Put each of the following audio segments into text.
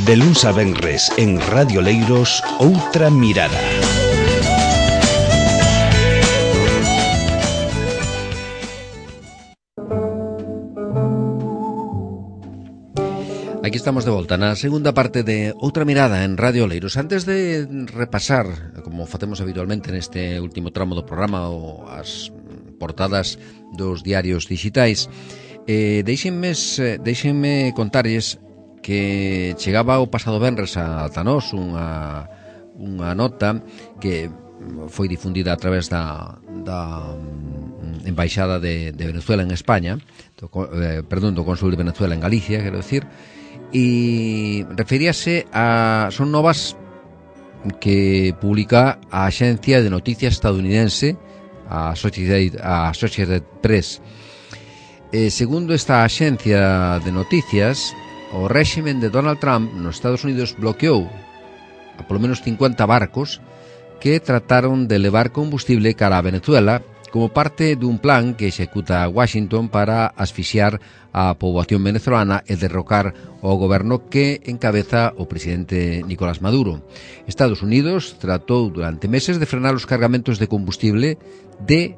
De luns a venres en Radio Leiros, Outra Mirada. Aquí estamos de volta na segunda parte de Outra Mirada en Radio Leiros. Antes de repasar, como facemos habitualmente neste último tramo do programa, o as portadas dos diarios digitais, deixenme contarlles que chegaba o pasado venres ata nós unha nota que foi difundida a través da Embaixada de Venezuela en España, do Cónsul de Venezuela en Galicia, quero decir, e referíase son novas que publica a axencia de noticias estadounidense, a Associated Press. Segundo esta axencia de noticias, o réximen de Donald Trump nos Estados Unidos bloqueou a polo menos 50 barcos que trataron de levar combustible cara a Venezuela como parte dun plan que executa Washington para asfixiar a poboación venezolana e derrocar o goberno que encabeza o presidente Nicolás Maduro. Estados Unidos tratou durante meses de frenar os cargamentos de combustible de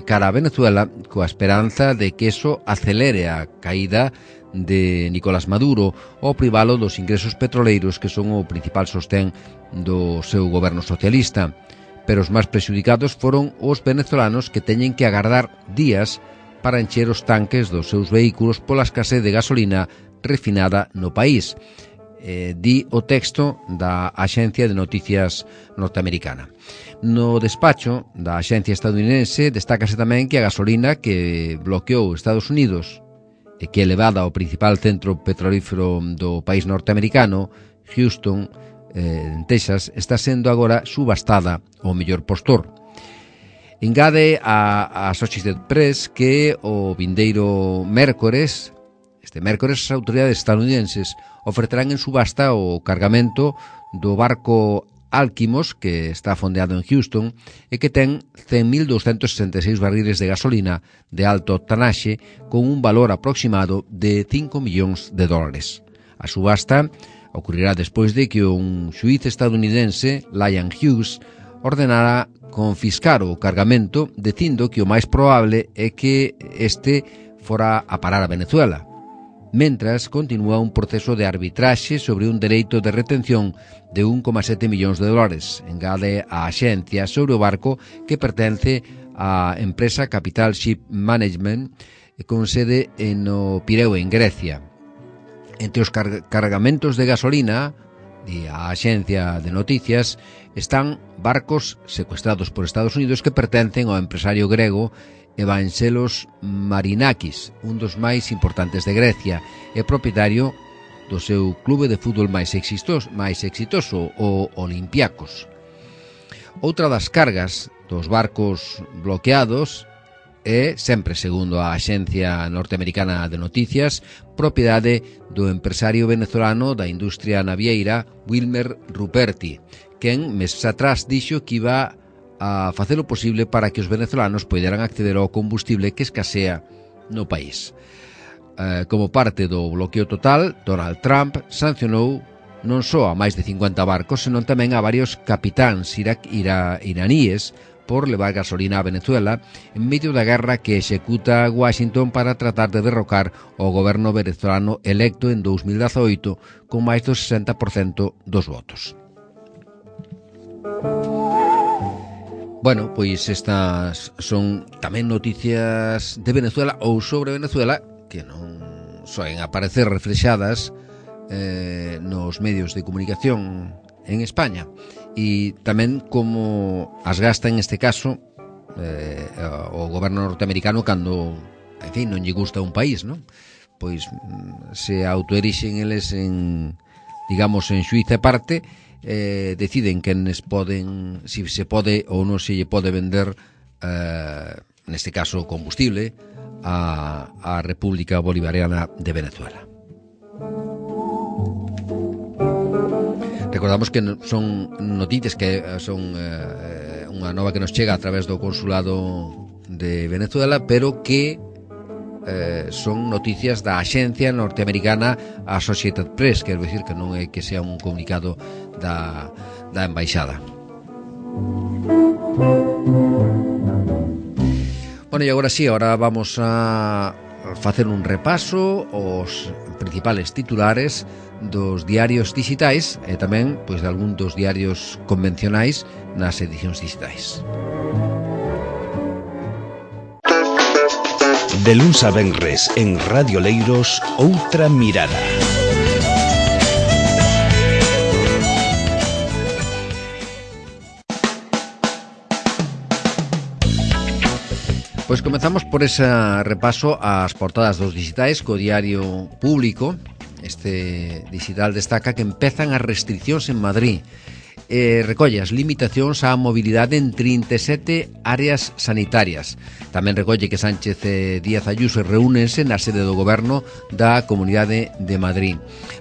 cara a Venezuela coa esperanza de que eso acelere a caída de Nicolás Maduro ou privalo dos ingresos petroleiros que son o principal sostén do seu goberno socialista. Pero os máis prexudicados foron os venezolanos que teñen que agardar días para encher os tanques dos seus vehículos pola escasez de gasolina refinada no país. Di o texto da Axencia de Noticias norteamericana. No despacho da axencia estadounidense destácase tamén que a gasolina que bloqueou Estados Unidos e que é levada ao principal centro petrolífero do país norteamericano, Houston, en Texas, está sendo agora subastada ao mellor postor. Engade a Associated Press que o vindeiro mércores, as autoridades estadounidenses ofertarán en subasta o cargamento do barco Alkimos, que está fondeado en Houston e que ten 100.266 barriles de gasolina de alto octanaxe con un valor aproximado de $5 millóns. A subasta ocurrirá despois de que un xuíz estadounidense, Lyon Hughes, ordenara confiscar o cargamento, dicindo que o máis probable é que este fora a parar a Venezuela, mentras continúa un proceso de arbitraxe sobre un dereito de retención de $1,7 millóns. Engade a axencia sobre o barco que pertence á empresa Capital Ship Management con sede no Pireo, en Grecia. Entre os cargamentos de gasolina de a axencia de noticias están barcos secuestrados por Estados Unidos que pertencen ao empresario grego Evangelos Marinakis, un dos máis importantes de Grecia, e propietario do seu clube de fútbol máis exitoso, o Olympiacos. Outra das cargas dos barcos bloqueados é, sempre segundo a axencia norteamericana de noticias, propiedade do empresario venezolano da industria navieira Wilmer Ruperti, quen meses atrás dixo que iba a facer o posible para que os venezolanos poderan acceder ao combustible que escasea no país. Como parte do bloqueo total, Donald Trump sancionou non só a máis de 50 barcos, senón tamén a varios capitáns iraníes por levar gasolina a Venezuela en medio da guerra que executa Washington para tratar de derrocar o goberno venezolano electo en 2018 con máis do 60% dos votos. Bueno, pois estas son tamén noticias de Venezuela ou sobre Venezuela que non soen aparecer reflexadas nos medios de comunicación en España, e tamén como as gasta en este caso o goberno norteamericano cando, en fin, non lle gusta un país, non? Pois se autoerixen eles en, digamos, en xuíz e parte, deciden quenes poden, si se pode ou non se lle pode vender neste caso combustible a República Bolivariana de Venezuela. Recordamos que son noticias que son unha nova que nos chega a través do Consulado de Venezuela, pero que son noticias da axencia norteamericana Associated Press, quero dicir que non é que sea un comunicado da embaixada. Bueno, e agora sí, agora vamos a facer un repaso aos principales titulares dos diarios digitais e tamén pois de algún dos diarios convencionais nas edicións digitais. De luns a venres en Radio Leiros, Outra Mirada. Pois comezamos por ese repaso ás portadas dos digitais co diario Público. Este digital destaca que empezan as restriccións en Madrid. Recolle as limitacións á mobilidade en 37 áreas sanitarias. Tamén recolle que Sánchez e Díaz Ayuso reúnense na sede do goberno da Comunidade de Madrid.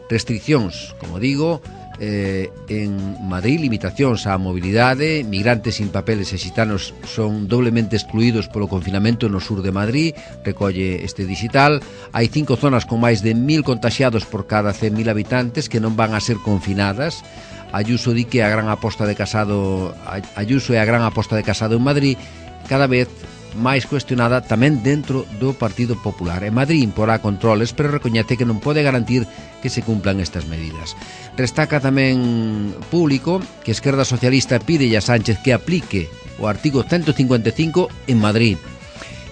Restriccións, como digo, en Madrid, limitacións á mobilidade, migrantes sin papeles e xitanos son doblemente excluídos polo confinamento no sur de Madrid, recolle este digital. Hai 5 zonas con máis de 1000 contaxiados por cada 100.000 habitantes que non van a ser confinadas. Ayuso di que a gran aposta de Casado, Ayuso é a gran aposta de Casado en Madrid, cada vez máis cuestionada tamén dentro do Partido Popular. En Madrid imporá controles, pero recoñece que non pode garantir que se cumplan estas medidas. Destaca tamén Público que a Esquerda Socialista pide a Sánchez que aplique o artigo 155 en Madrid,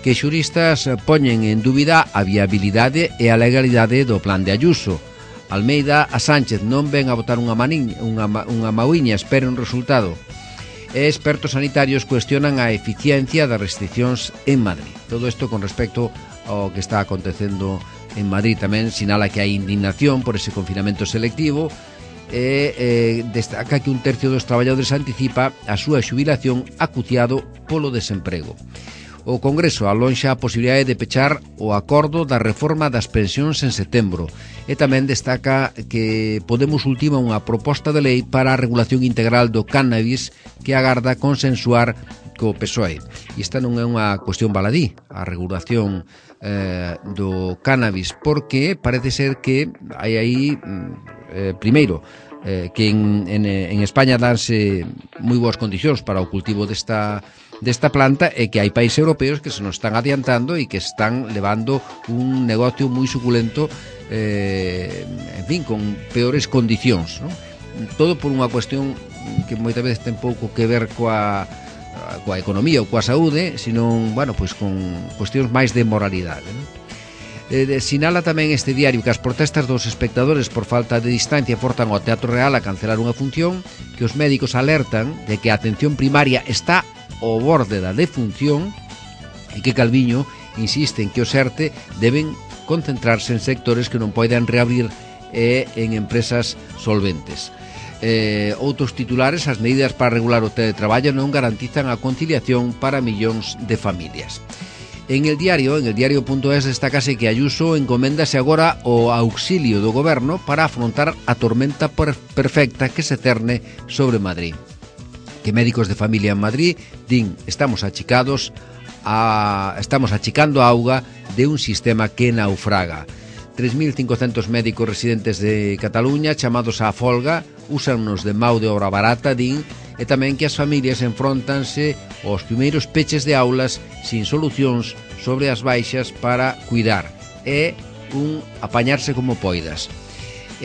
que xuristas poñen en dúbida a viabilidade e a legalidade do plan de Ayuso. Almeida a Sánchez non ven a botar unha mauiña, espera un resultado. E expertos sanitarios cuestionan a eficiencia das restriccións en Madrid. Todo isto con respecto ao que está acontecendo en Madrid. Tamén sinala que hai indignación por ese confinamento selectivo e destaca que 1/3 dos traballadores anticipa a súa xubilación acuciado polo desemprego. O Congreso alonxa a posibilidade de pechar o acordo da reforma das pensións en setembro e tamén destaca que Podemos ultima unha proposta de lei para a regulación integral do cannabis que agarda consensuar co PSOE. E esta non é unha cuestión baladí, a regulación do cannabis, porque parece ser que hai aí, primeiro, que en España danse moi boas condicións para o cultivo desta planta e que hai países europeos que se nos están adiantando e que están levando un negocio moi suculento, en fin, con peores condicións, ¿no? Todo por unha cuestión que moitas veces ten pouco que ver coa economía ou coa saúde, senón, bueno, pois con cuestións máis de moralidade, ¿no? Sinala tamén este diario que as protestas dos espectadores por falta de distancia forzan ao Teatro Real a cancelar unha función, que os médicos alertan de que a atención primaria está ao borde da defunción e que Calviño insiste en que os ERTE deben concentrarse en sectores que non poden reabrir e en empresas solventes. Outros titulares, as medidas para regular o teletraballo non garantizan a conciliación para millóns de familias. En el diario.es destacase que Ayuso encoméndase agora o auxilio do goberno para afrontar a tormenta perfecta que se cerne sobre Madrid. Que médicos de familia en Madrid din estamos achicando a auga de un sistema que naufraga. 3.500 médicos residentes de Cataluña chamados á folga, úsannos de mão de obra barata, din, e tamén que as familias enfrontanse aos primeiros peches de aulas sin solucións sobre as baixas para cuidar. É un apañarse como poidas.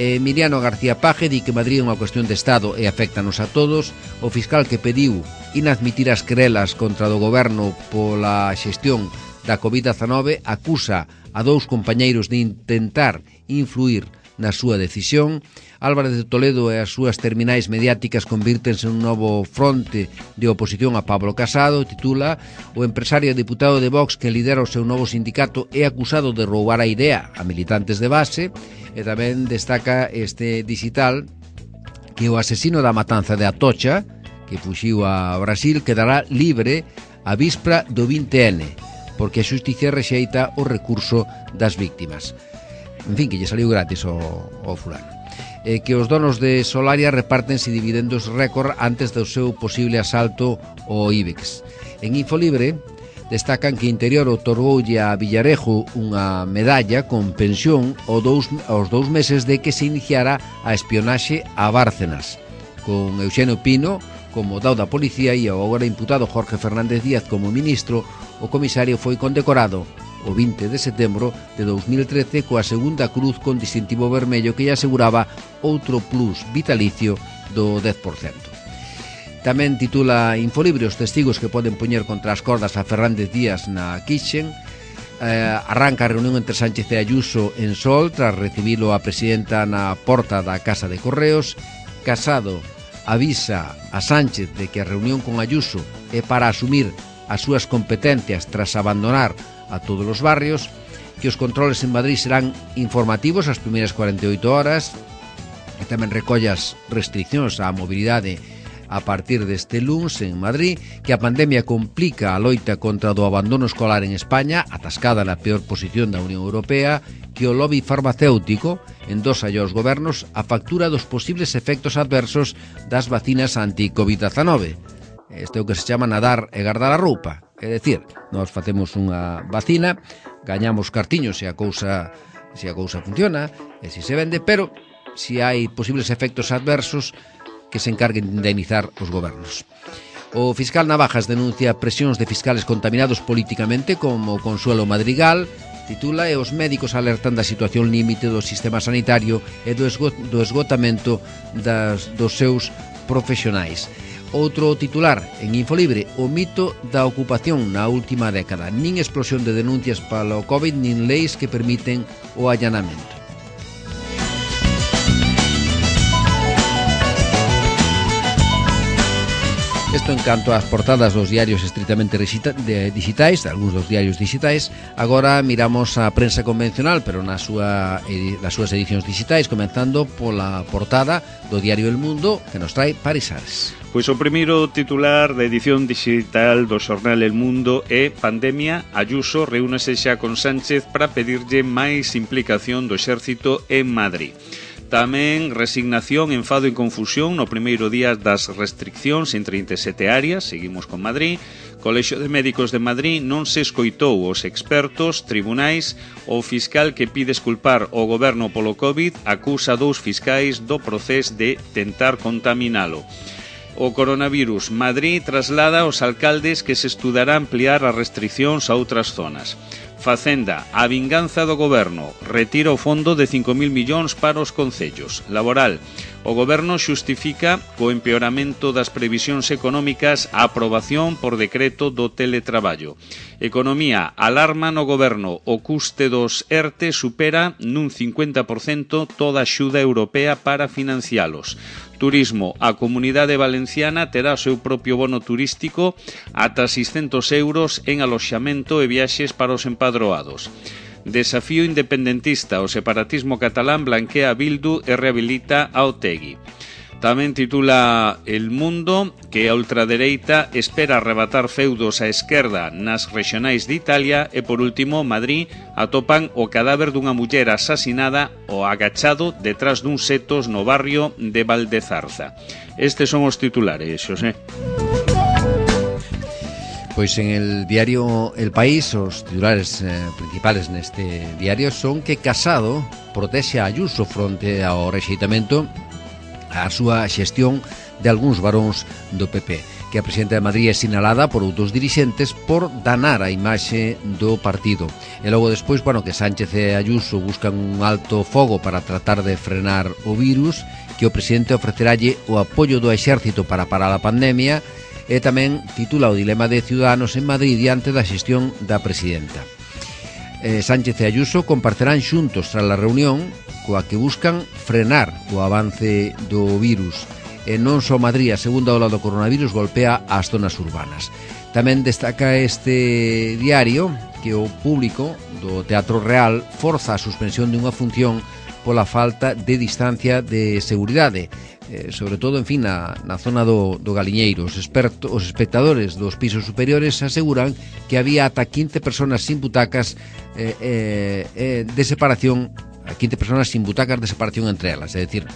Emiliano García Paje di que Madrid é unha cuestión de Estado e afectanos a todos. O fiscal que pediu inadmitir as querelas contra do goberno pola xestión da COVID-19 acusa a 2 compañeiros de intentar influir na súa decisión. Álvarez de Toledo e as súas terminais mediáticas convírtense en un novo fronte de oposición a Pablo Casado. Titula: o empresario e deputado de Vox que lidera o seu novo sindicato é acusado de roubar a idea a militantes de base. E tamén destaca este digital que o asesino da matanza de Atocha, que fuxiu a Brasil, quedará libre a víspera do 20N, porque a xusticia rexeita o recurso das víctimas. En fin, que lle saliu gratis ao fulano. Que os donos de Solaria repártense dividendos récord antes do seu posible asalto ao IBEX. En Infolibre destacan que Interior outorgoulle a Villarejo unha medalla con pensión aos 2 meses de que se iniciara a espionaxe a Bárcenas, con Euxenio Pino como dao da policía e o agora imputado Jorge Fernández Díaz como ministro. O comisario foi condecorado o 20 de setembro de 2013 coa segunda cruz con distintivo vermello que lle aseguraba outro plus vitalicio do 10%. Tamén titula Infolibre os testigos que poden poñer contra as cordas a Fernández Díaz na Quixen. Arranca a reunión entre Sánchez e Ayuso en Sol tras recibilo a presidenta na porta da Casa de Correos. Casado avisa a Sánchez de que a reunión con Ayuso é para asumir as súas competencias tras abandonar a todos os barrios, que os controles en Madrid serán informativos as primeiras 48 horas, e tamén recolle as restriccións á mobilidade a partir deste luns en Madrid, que a pandemia complica a loita contra o abandono escolar en España, atascada na peor posición da Unión Europea, que o lobby farmacéutico endosa aos gobernos a factura dos posibles efectos adversos das vacinas anti-Covid-19. Isto é o que se chama nadar e guardar a roupa. É dicir, nós facemos unha vacina, gañamos cartiños se a cousa funciona e se vende, pero se hai posibles efectos adversos que se encarguen de indemnizar os gobernos. O fiscal Navajas denuncia presións de fiscales contaminados políticamente como Consuelo Madrigal. Titula e os médicos alertan da situación límite do sistema sanitario e do esgotamento dos seus profesionais. Outro titular en Infolibre, o mito da ocupación na última década. Nin explosión de denuncias para o COVID, nin leis que permiten o allanamento. Isto en canto ás portadas dos diarios estritamente digitais, algúns dos diarios digitais. Agora miramos a prensa convencional, pero nas súas edicións digitais, comenzando pola portada do diario El Mundo, que nos trae Paris Ares. Pois o primeiro titular da edición digital do xornal El Mundo é Pandemia, Ayuso reúnese xa con Sánchez para pedirlle máis implicación do exército en Madrid. Tamén resignación, enfado e confusión no primeiro día das restriccións en 37 áreas, seguimos con Madrid. Colexio de Médicos de Madrid non se escoitou os expertos, tribunais. O fiscal que pide esculpar o goberno polo COVID acusa 2 fiscais do procés de tentar contaminalo. O coronavirus, Madrid traslada aos alcaldes que se estudará ampliar as restriccións a outras zonas. Facenda, a vinganza do goberno, retira o fondo de 5.000 millóns para os concellos. Laboral, o goberno xustifica co empeoramento das previsións económicas a aprobación por decreto do teletraballo. Economía, alarma no goberno, o custe dos ERTE supera nun 50% toda a axuda europea para financialos. Turismo, a Comunidade Valenciana terá o seu propio bono turístico ata 600 euros en aloxamento e viaxes para os empadroados. Desafío independentista, o separatismo catalán blanquea a Bildu e rehabilita a Otegi. Tamén titula El Mundo que a ultradereita espera arrebatar feudos á esquerda nas rexionais de Italia e, por último, Madrid atopan o cadáver dunha muller asasinada o agachado detrás dun setos no barrio de Valdezarza. Estes son os titulares, Xosé. Pois en el diario El País os titulares principales neste diario son que Casado protexe a Ayuso fronte ao rexeitamento a súa xestión de algúns varóns do PP, que a presidenta de Madrid é sinalada por outros dirixentes por danar a imaxe do partido. E logo despois, que Sánchez e Ayuso buscan un alto fogo para tratar de frenar o virus, que o presidente ofreceralle o apoio do exército para parar a pandemia, e tamén titula o dilema de Ciudadanos en Madrid diante da xestión da presidenta. Sánchez e Ayuso comparecerán xuntos tras a reunión coa que buscan frenar o avance do virus. E non só Madrid, a segunda ola do coronavirus golpea as zonas urbanas. Tamén destaca este diario que o público do Teatro Real forza a suspensión de unha función pola falta de distancia de seguridade, sobre todo, na zona do Galiñeiro. Os espectadores dos pisos superiores aseguran que había ata 15 personas sin butacas de separación, 15 personas sin butacas de separación entre elas, é dicir,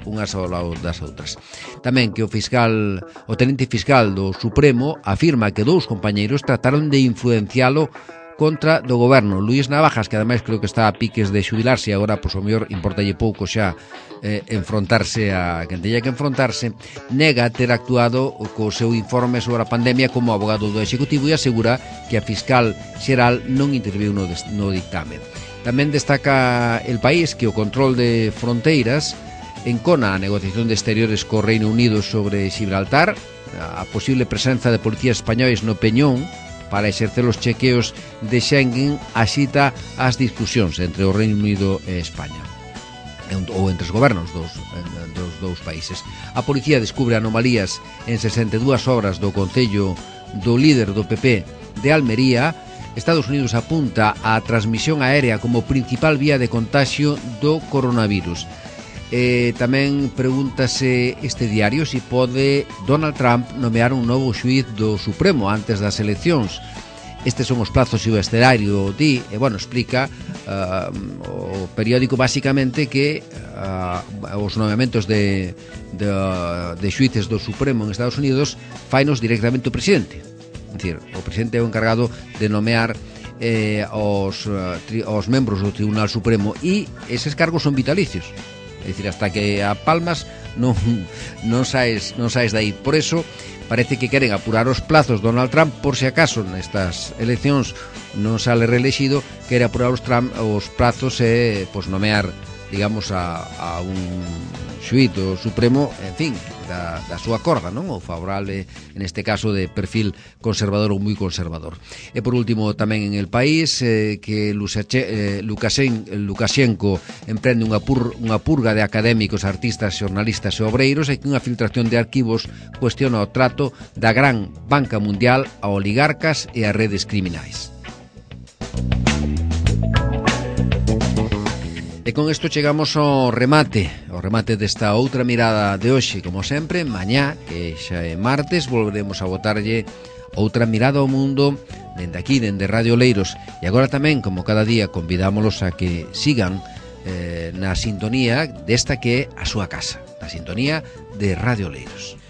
unhas ao lado das outras. Tamén que o tenente fiscal do Supremo afirma que 2 compañeiros trataron de influencialo contra do goberno. Luís Navajas, que ademais creo que está a piques de xubilarse e agora, pois, o mellor, importalle pouco xa enfrontarse a quen teña que enfrontarse, nega ter actuado co seu informe sobre a pandemia como abogado do Executivo e asegura que a fiscal xeral non interviu no dictamen. Tamén destaca El País que o control de fronteiras encona a negociación de exteriores co Reino Unido sobre Gibraltar, a posible presenza de policías españois no Peñón para exercer os chequeos de Schengen axita as discusións entre o Reino Unido e España, ou entre os gobernos dos dous países. A policía descubre anomalías en 62 horas do Concello do líder do PP de Almería. Estados Unidos apunta á transmisión aérea como principal vía de contagio do coronavirus. Tamén pregúntase este diario se pode Donald Trump nomear un novo xuíz do Supremo antes das eleccións. Estes son os plazos e o escenario explica o periódico basicamente que os nomeamentos de xuíces do Supremo en Estados Unidos fainos directamente o presidente. É dicir, o presidente é o encargado de nomear os membros do Tribunal Supremo e eses cargos son vitalicios. É dicir, hasta que a palmas non saes de aí. Por eso parece que queren apurar os plazos Donald Trump, por se acaso nestas eleccións non sale reelexido, quere apurar os plazos e nomear, digamos, a un xuíz do Supremo, en fin, da súa corda, non? O favorable, en este caso, de perfil conservador ou moi conservador. E por último, tamén en El País, que Lukashenko emprende unha purga de académicos, artistas, xornalistas e obreiros e que unha filtración de arquivos cuestiona o trato da gran banca mundial a oligarcas e a redes criminais. E con isto chegamos ao remate desta outra mirada de hoxe. Como sempre, mañá, que xa é martes, volveremos a botarlle outra mirada ao mundo dende aquí, dende Radio Oleiros. E agora tamén, como cada día, convidámolos a que sigan na sintonía desta que é a súa casa, na sintonía de Radio Oleiros.